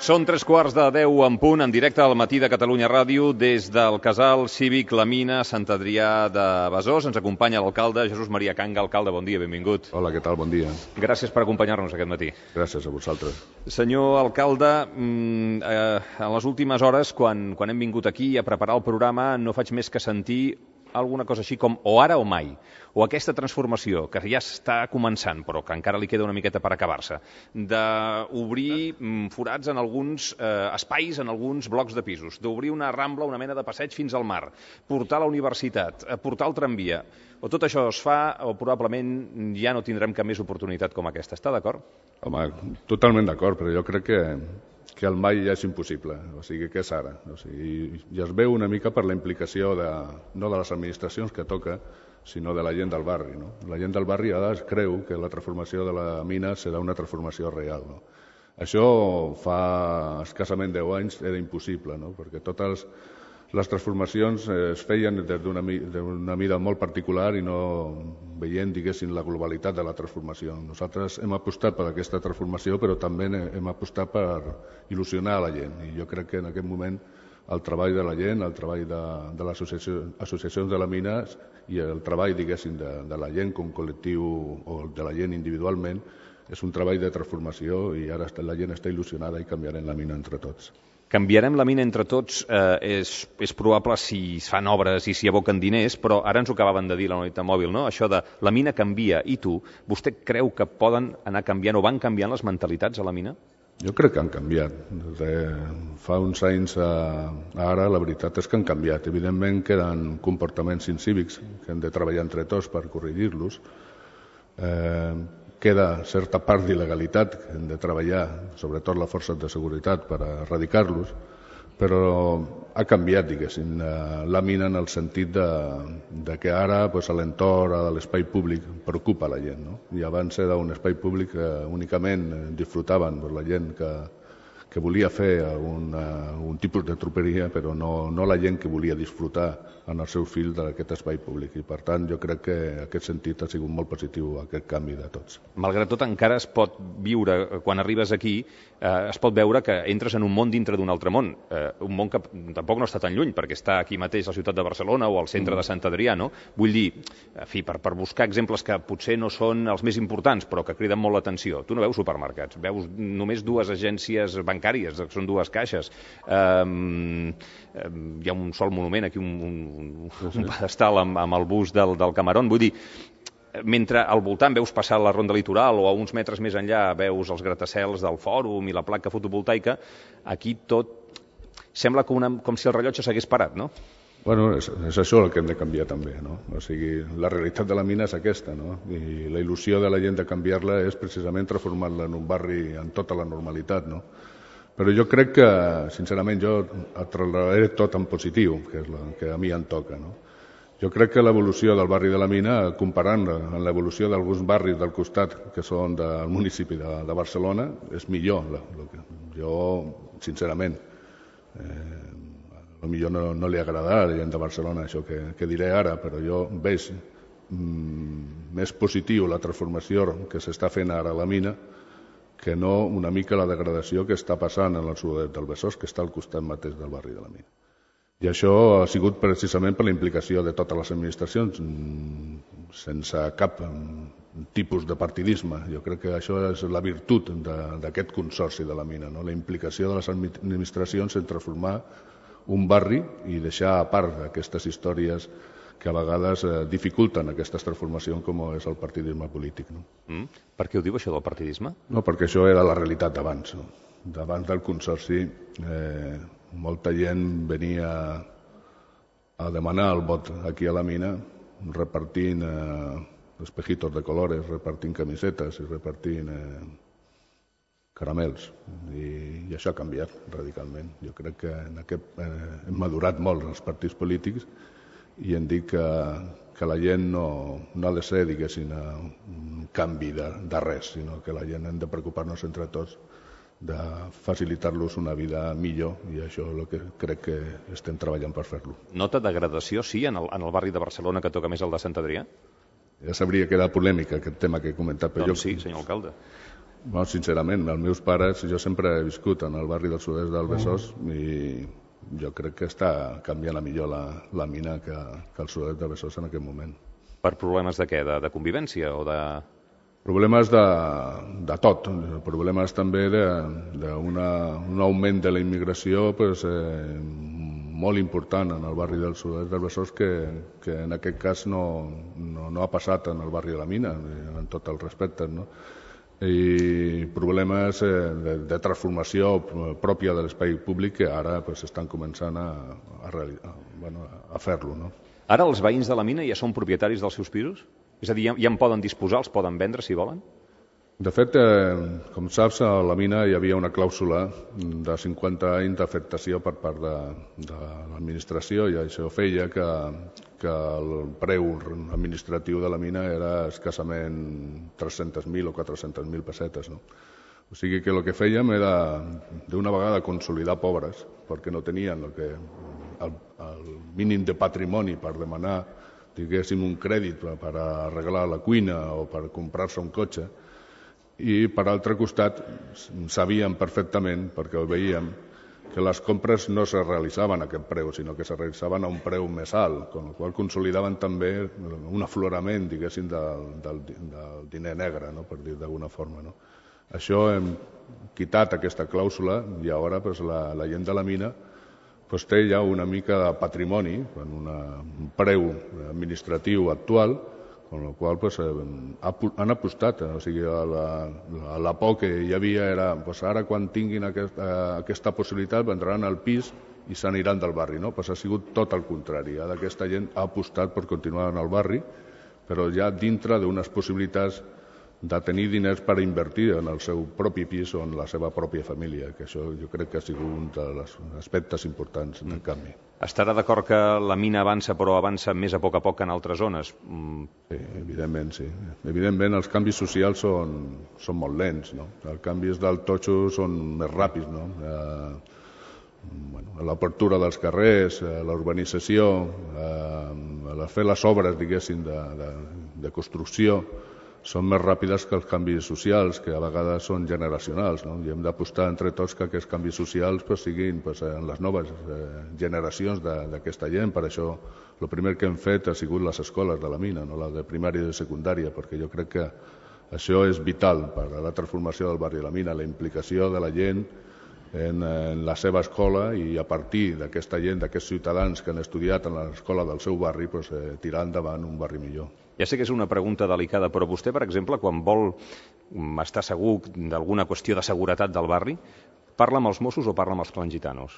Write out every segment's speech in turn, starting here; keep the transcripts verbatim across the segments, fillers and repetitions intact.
Són tres quarts de deu en punt, en directe al Matí de Catalunya Ràdio, des del Casal Cívic La Mina, Sant Adrià de Besòs. Ens acompanya l'alcalde Jesús Maria Canga. Alcalde, bon dia, benvingut. Hola, què tal? Bon dia. Gràcies per acompanyar-nos aquest matí. Gràcies a vosaltres. Senyor alcalde, eh, en les últimes hores, quan, quan hem vingut aquí a preparar el programa, no faig més que sentir alguna cosa així com o ara o mai, o aquesta transformació que ja està començant, però que encara li queda una miqueta per acabar-se, d'obrir forats en alguns eh, espais, en alguns blocs de pisos, d'obrir una rambla, una mena de passeig fins al mar, portar la universitat, portar el tramvia, o tot això es fa o probablement ja no tindrem cap més oportunitat com aquesta. Està d'acord? Home, totalment d'acord, però jo crec que que el mai ja és impossible, o sigui, que és ara. O sigui, ja es veu una mica per la implicació de, no de les administracions que toca, sinó de la gent del barri. No? La gent del barri ara es creu que la transformació de la mina serà una transformació real. No? Això fa escassament deu anys era impossible, no? Perquè totes les transformacions es feien des d'una mida molt particular i no veient, diguéssim, la globalitat de la transformació. Nosaltres hem apostat per aquesta transformació, però també hem apostat per il·lusionar a la gent. I jo crec que en aquest moment el treball de la gent, el treball de, de les associacions de la mina i el treball, diguéssim, de, de la gent com col·lectiu o de la gent individualment és un treball de transformació i ara la gent està il·lusionada i canviarem la mina entre tots. Canviarem la mina entre tots, eh, és, és probable si es fan obres i si aboquen diners, però ara ens ho acabaven de dir la unitat mòbil, no? Això de la mina canvia i tu, vostè creu que poden anar canviant o van canviant les mentalitats a la mina? Jo crec que han canviat. De fa uns anys a ara la veritat és que han canviat. Evidentment queden comportaments incívics que hem de treballar entre tots per corregir-los. Eh, queda certa part d'il·legalitat que hem de treballar, sobretot les forces de seguretat, per erradicar-los, però ha canviat, diguéssim, la mina en el sentit de, de que ara pues, l'entorn de l'espai públic preocupa la gent. No? I abans era un espai públic que únicament disfrutaven pues, la gent que, que volia fer algun, algun tipus de troperia, però no, no la gent que volia disfrutar en el seu fill d'aquest espai públic. I per tant jo crec que en aquest sentit ha sigut molt positiu aquest canvi de tots. Malgrat tot encara es pot viure, quan arribes aquí, eh, es pot veure que entres en un món dintre d'un altre món, eh, un món que tampoc no està tan lluny, perquè està aquí mateix a la ciutat de Barcelona o al centre mm. de Sant Adrià, no? Vull dir, en fi, per, per buscar exemples que potser no són els més importants, però que criden molt l'atenció. Tu no veus supermercats, veus només dues agències bancàries, que són dues caixes. Um, um, hi ha un sol monument aquí, un, un, un pedestal amb, amb el bust del, del Camarón. Vull dir, mentre al voltant veus passar la ronda litoral o a uns metres més enllà veus els gratacels del fòrum i la placa fotovoltaica, aquí tot sembla com, una, com si el rellotge s'hagués parat, no? Bueno, és, és això el que hem de canviar també, no? O sigui, la realitat de la mina és aquesta, no? I la il·lusió de la gent de canviar-la és precisament transformar-la en un barri en tota la normalitat, no? Però jo crec que, sincerament, jo el trasladaré tot en positiu, que és el que a mi em toca, no? Jo crec que l'evolució del barri de la Mina, comparant-la amb l'evolució d'alguns barris del costat que són del municipi de, de Barcelona, és millor. La, la, jo, sincerament, eh, potser no, no li agradarà a la gent de Barcelona això que, que diré ara, però jo veig mm, més positiu la transformació que s'està fent ara a la mina que no una mica la degradació que està passant en el sud del Besòs, que està al costat mateix del barri de la mina. I això ha sigut precisament per la implicació de totes les administracions, sense cap tipus de partidisme. Jo crec que això és la virtut d'aquest consorci de la mina, no? La implicació de les administracions en transformar un barri i deixar a part aquestes històries que a vegades eh, dificulten aquestes transformacions com és el partidisme polític. No? Mm. Per què ho diu, això del partidisme? No, perquè això era la realitat d'abans. No? D'abans del consorci, eh, molta gent venia a demanar el vot aquí a la mina, repartint eh, espejitos de colores, repartint camisetes i repartint eh, caramels. I, I això ha canviat radicalment. Jo crec que en aquest, eh, hem madurat molt els partits polítics i hem dit que, que la gent no, no ha de ser, diguéssim, un canvi de, de res, sinó que la gent hem de preocupar-nos entre tots de facilitar-los una vida millor i això és el que crec que estem treballant per fer-lo. Nota degradació, sí, en el, en el barri de Barcelona que toca més el de Sant Adrià? Ja sabria que era polèmica aquest tema que he comentat. Però doncs jo, sí, senyor alcalde. Bueno, sincerament, els meus pares, jo sempre he viscut en el barri del sud-est del Besòs i jo crec que està canviant a millor la, la mina que, que el sud-est del Besòs en aquest moment. Per problemes de què? De, de convivència o de... Problemes de, de tot, problemes també d'un augment de la immigració pues, eh, molt important en el barri del sud-est del Besòs que, que en aquest cas no, no, no ha passat en el barri de la Mina, en tot el respecte, no? I problemes eh, de, de transformació pròpia de l'espai públic que ara pues, estan començant a, a, a, bueno, a fer-lo, no? Ara els veïns de la mina ja són propietaris dels seus pisos? És a dir, ja, ja en poden disposar, els poden vendre si volen? De fet, eh, com saps, a la mina hi havia una clàusula de cinquanta anys d'afectació per part de, de l'administració i això feia que, que el preu administratiu de la mina era escassament tres-centes mil o quatre-centes mil pessetes, no? O sigui que el que fèiem era d'una vegada consolidar pobres perquè no tenien el, que, el, el mínim de patrimoni per demanar, diguéssim, un crèdit per, per arreglar la cuina o per comprar-se un cotxe. I per altre costat sabíem perfectament, perquè ho veiem, que les compres no se realitzaven a aquest preu, sinó que se realitzaven a un preu més alt, amb la qual consolidaven també un aflorament, diguéssim, del, del, del diner negre, no? Per dir d'alguna forma, no? Això hem quitat aquesta clàusula i ara pues, la, la gent de la mina pues, té ja una mica de patrimoni, en una, un preu administratiu actual, amb la qual pues, han apostat, o sigui, a la, a la por que hi havia era pues, ara quan tinguin aquesta, aquesta possibilitat vendran al pis i s'aniran del barri, no? Pues ha sigut tot el contrari, ara aquesta gent ha apostat per continuar en el barri, però ja dintre d'unes possibilitats de tenir diners per invertir en el seu propi pis o en la seva pròpia família, que això jo crec que ha sigut un dels aspectes importants del canvi. Estarà d'acord que la mina avança, però avança més a poc a poc que en altres zones? Mm. Sí, evidentment, sí. Evidentment els canvis socials són, són molt lents, no? Els canvis del totxo són més ràpids, no? Eh, bueno, l'apertura dels carrers, eh, la urbanització, eh, fer les obres, diguéssim, de, de, de construcció, són més ràpides que els canvis socials, que a vegades són generacionals, no? I hem d'apostar entre tots que aquests canvis socials pues, siguin pues, en les noves eh, generacions d'aquesta gent. Per això el primer que hem fet ha sigut les escoles de la mina, no? La de primària i de secundària, perquè jo crec que això és vital per a la transformació del barri de la mina, la implicació de la gent en, en la seva escola i a partir d'aquesta gent, d'aquests ciutadans que han estudiat en l'escola del seu barri, pues, eh, tirar endavant un barri millor. Ja sé que és una pregunta delicada, però vostè, per exemple, quan vol estar segur d'alguna qüestió de seguretat del barri, parla amb els Mossos o parla amb els clans gitanos?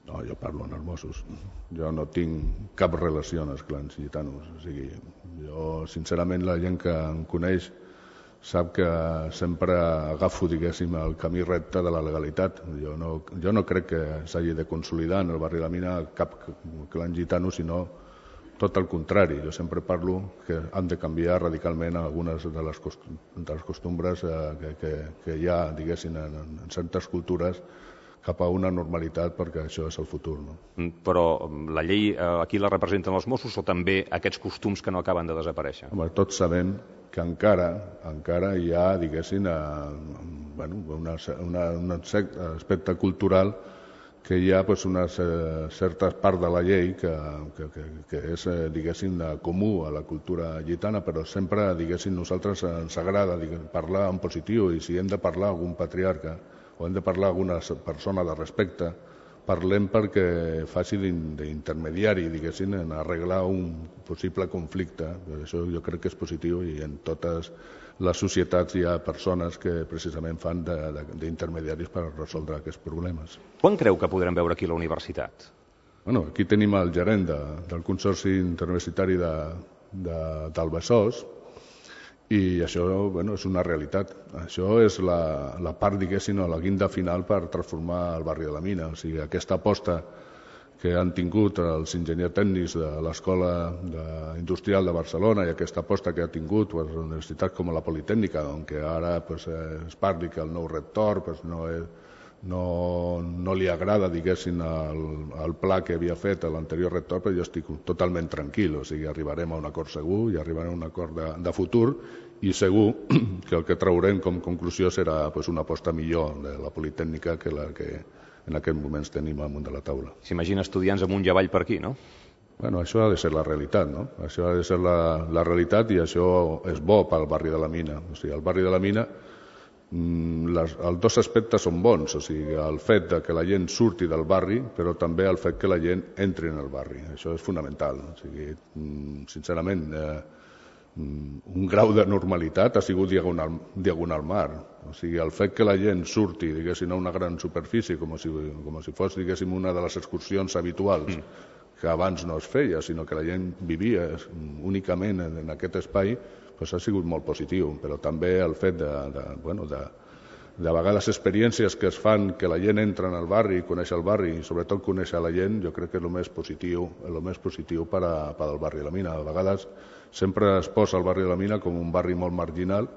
No, jo parlo amb els Mossos. Jo no tinc cap relació amb els clans gitanos. O sigui, jo, sincerament, la gent que em coneix sap que sempre agafo, diguéssim, el camí recte de la legalitat. Jo no, jo no crec que s'hagi de consolidar en el barri de la mina cap clan gitano, sinó tot el contrari. Jo sempre parlo que han de canviar radicalment algunes de les, cost de les costumbres eh, que, que, que hi ha, diguéssim, en, en certes cultures cap a una normalitat, perquè això és el futur. No? Però la llei eh, aquí la representen els Mossos o també aquests costums que no acaben de desaparèixer? Home, tots sabem que encara encara hi ha, diguéssim, eh, bueno, una, una, un aspecte cultural que hi ha pues, una certa part de la llei que, que, que, que és, diguéssim, comú a la cultura gitana, però sempre, diguéssim, nosaltres ens agrada diguéssim, parlar en positiu, i si hem de parlar amb algun patriarca o hem de parlar amb alguna persona de respecte, parlem perquè faci d'intermediari, diguéssim, en arreglar un possible conflicte. Això jo crec que és positiu i en totes les societats hi ha persones que precisament fan d'intermediaris per resoldre aquests problemes. Quan creu que podrem veure aquí la universitat? Bueno, aquí tenim el gerent de, del Consorci Interuniversitari de, de, del Besòs i això bueno, és una realitat. Això és la, la part, diguéssim, la guinda final per transformar el barri de la mina. O sigui, aquesta aposta que han tingut els enginyers tècnics de l'Escola Industrial de Barcelona i aquesta aposta que ha tingut pues, universitats com la Politècnica, on ara pues, es parli que el nou rector pues, no, és, no, no li agrada, diguéssim, el, el pla que havia fet l'anterior rector, però jo estic totalment tranquil, o sigui, arribarem a un acord segur i arribarem a un acord de, de futur i segur que el que traurem com conclusió serà pues, una aposta millor de la Politècnica que la que en aquests moments tenim amunt de la taula. S'imagina estudiants amunt i avall per aquí, no? Bueno, això ha de ser la realitat, no? Això ha de ser la, la realitat i això és bo pel barri de la Mina. O sigui, el barri de la Mina, les, els dos aspectes són bons, o sigui, el fet de que la gent surti del barri, però també el fet que la gent entri en el barri. Això és fonamental. O sigui, sincerament, eh, un grau de normalitat ha sigut diagonal, diagonal mar. O sigui, el fet que la gent surti, diguéssim, a una gran superfície, com si, com si fos, diguéssim, una de les excursions habituals, mm. que abans no es feia, sinó que la gent vivia únicament en aquest espai, doncs ha sigut molt positiu. Però també el fet de, de, bueno, de, de vegades experiències que es fan que la gent entra en el barri, coneix el barri i sobretot coneix la gent, jo crec que és el més positiu, el més positiu per, a, per al barri de la Mina. A vegades sempre es posa el barri de la Mina com un barri molt marginal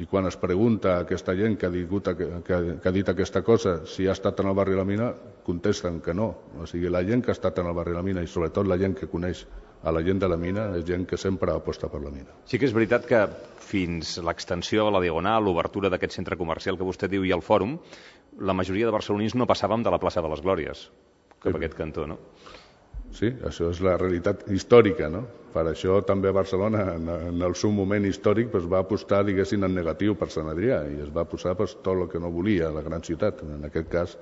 i quan es pregunta a aquesta gent que ha, digut, que, que, que ha dit aquesta cosa si ha estat en el barri de la Mina, contesten que no. O sigui, la gent que ha estat en el barri de la Mina i sobretot la gent que coneix a la gent de la Mina és gent que sempre aposta per la Mina. Sí que és veritat que fins l'extensió a la Diagonal, l'obertura d'aquest centre comercial que vostè diu i el fòrum, la majoria de barcelonins no passàvem de la plaça de les Glòries cap a aquest cantó, no? Sí, això és la realitat històrica, no? Per això també Barcelona, en el seu moment històric, pues, va apostar, diguéssim, en negatiu per Sant Adrià i es va posar pues, tot el que no volia la gran ciutat. En aquest cas,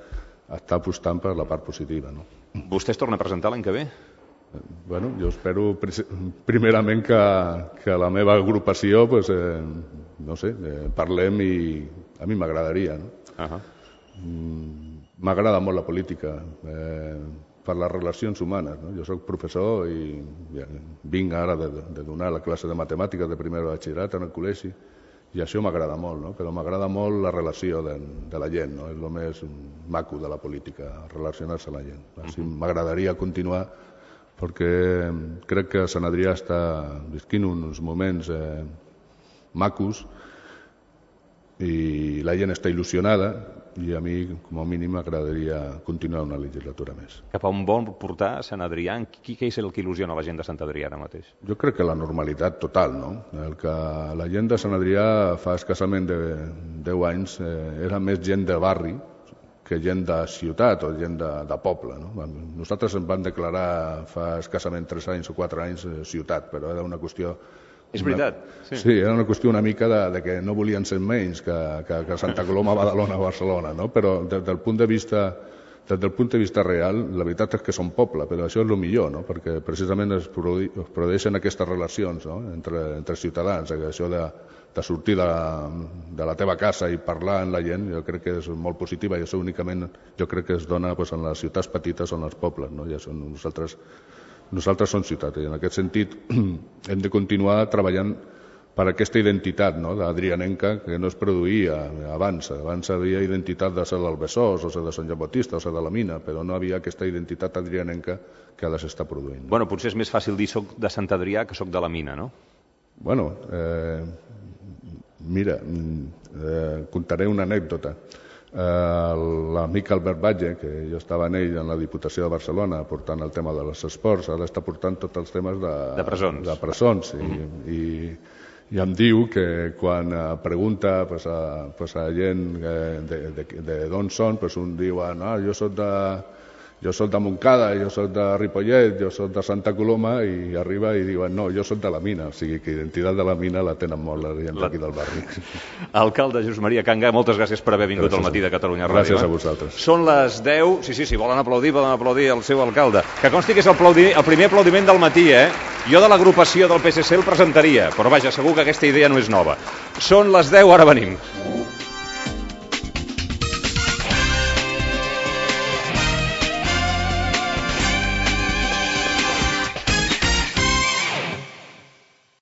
està apostant per la part positiva, no? Vostè es torna a presentar l'any que ve? Bueno, jo espero primerament que, que la meva agrupació, pues, eh, no sé, eh, parlem i a mi m'agradaria, no? Uh-huh. M'agrada molt la política, eh, per les relacions humanes, no? Jo soc professor i ja, vinc ara de, de donar la classe de matemàtiques de primer batxillerat en el col·legi i això m'agrada molt, no? Però m'agrada molt la relació de, de la gent, no? És el més maco de la política, relacionar-se amb la gent. Així m'agradaria continuar perquè crec que Sant Adrià està visquint uns moments eh, macos i la gent està il·lusionada i a mi, com a mínim, m'agradaria continuar una legislatura més. Cap a on vol portar Sant Adrià? Qui és el que il·lusiona la gent de Sant Adrià ara mateix? Jo crec que la normalitat total, no? El que la gent de Sant Adrià fa escassament de deu anys eh, era més gent de barri que gent de ciutat o gent de, de poble, no? Nosaltres ens vam declarar fa escassament tres anys o quatre anys eh, ciutat, però era una qüestió... És veritat. Sí. sí, era una qüestió una mica de, de que no volien ser menys que, que, que Santa Coloma, Badalona o Barcelona, no? Però des del punt de vista des del punt de vista real, la veritat és que són poble, però això és el millor, no? Perquè precisament es, produ es produeixen aquestes relacions, no? entre, entre ciutadans, això de, de sortir de, de la teva casa i parlar amb la gent, jo crec que és molt positiva i això únicament jo crec que es dona pues, en les ciutats petites o en els pobles, no? Ja són nosaltres Nosaltres som ciutat i en aquest sentit hem de continuar treballant per aquesta identitat, no? D'adrianenca que no es produïa abans. Abans havia identitat de ser del Besòs, o ser de Sant Joan Baptista, o ser de la Mina, però no havia aquesta identitat adrianenca que ara s'està produint. Bueno, potser és més fàcil dir soc de Sant Adrià que soc de la Mina, no? Bueno, eh, mira, eh, contaré una anècdota. Eh, l'amic Albert Batlle, que jo estava en ell en la Diputació de Barcelona portant el tema dels esports, ara està portant tots els temes de, de presons, de presons i, mm. i, i em diu que quan pregunta pues, a, pues, a gent de, de, de d'on són, pues, un diu ah, jo soc de jo soc de Montcada, jo soc de Ripollet, jo soc de Santa Coloma i arriba i diuen no, jo soc de la Mina, o sigui que identitat de la Mina la tenen molt la gent d'aquí del barri. Alcalde Jesús Maria Canga, moltes gràcies per haver vingut gràcies. Al matí de Catalunya Ràdio. Gràcies a vosaltres. Són les deu, sí, sí, sí, volen aplaudir, volen aplaudir el seu alcalde. Que consti que és el, aplaudi... el primer aplaudiment del matí, eh? Jo de l'agrupació del P S C el presentaria, però vaja, segur que aquesta idea no és nova. Són les deu, ara venim.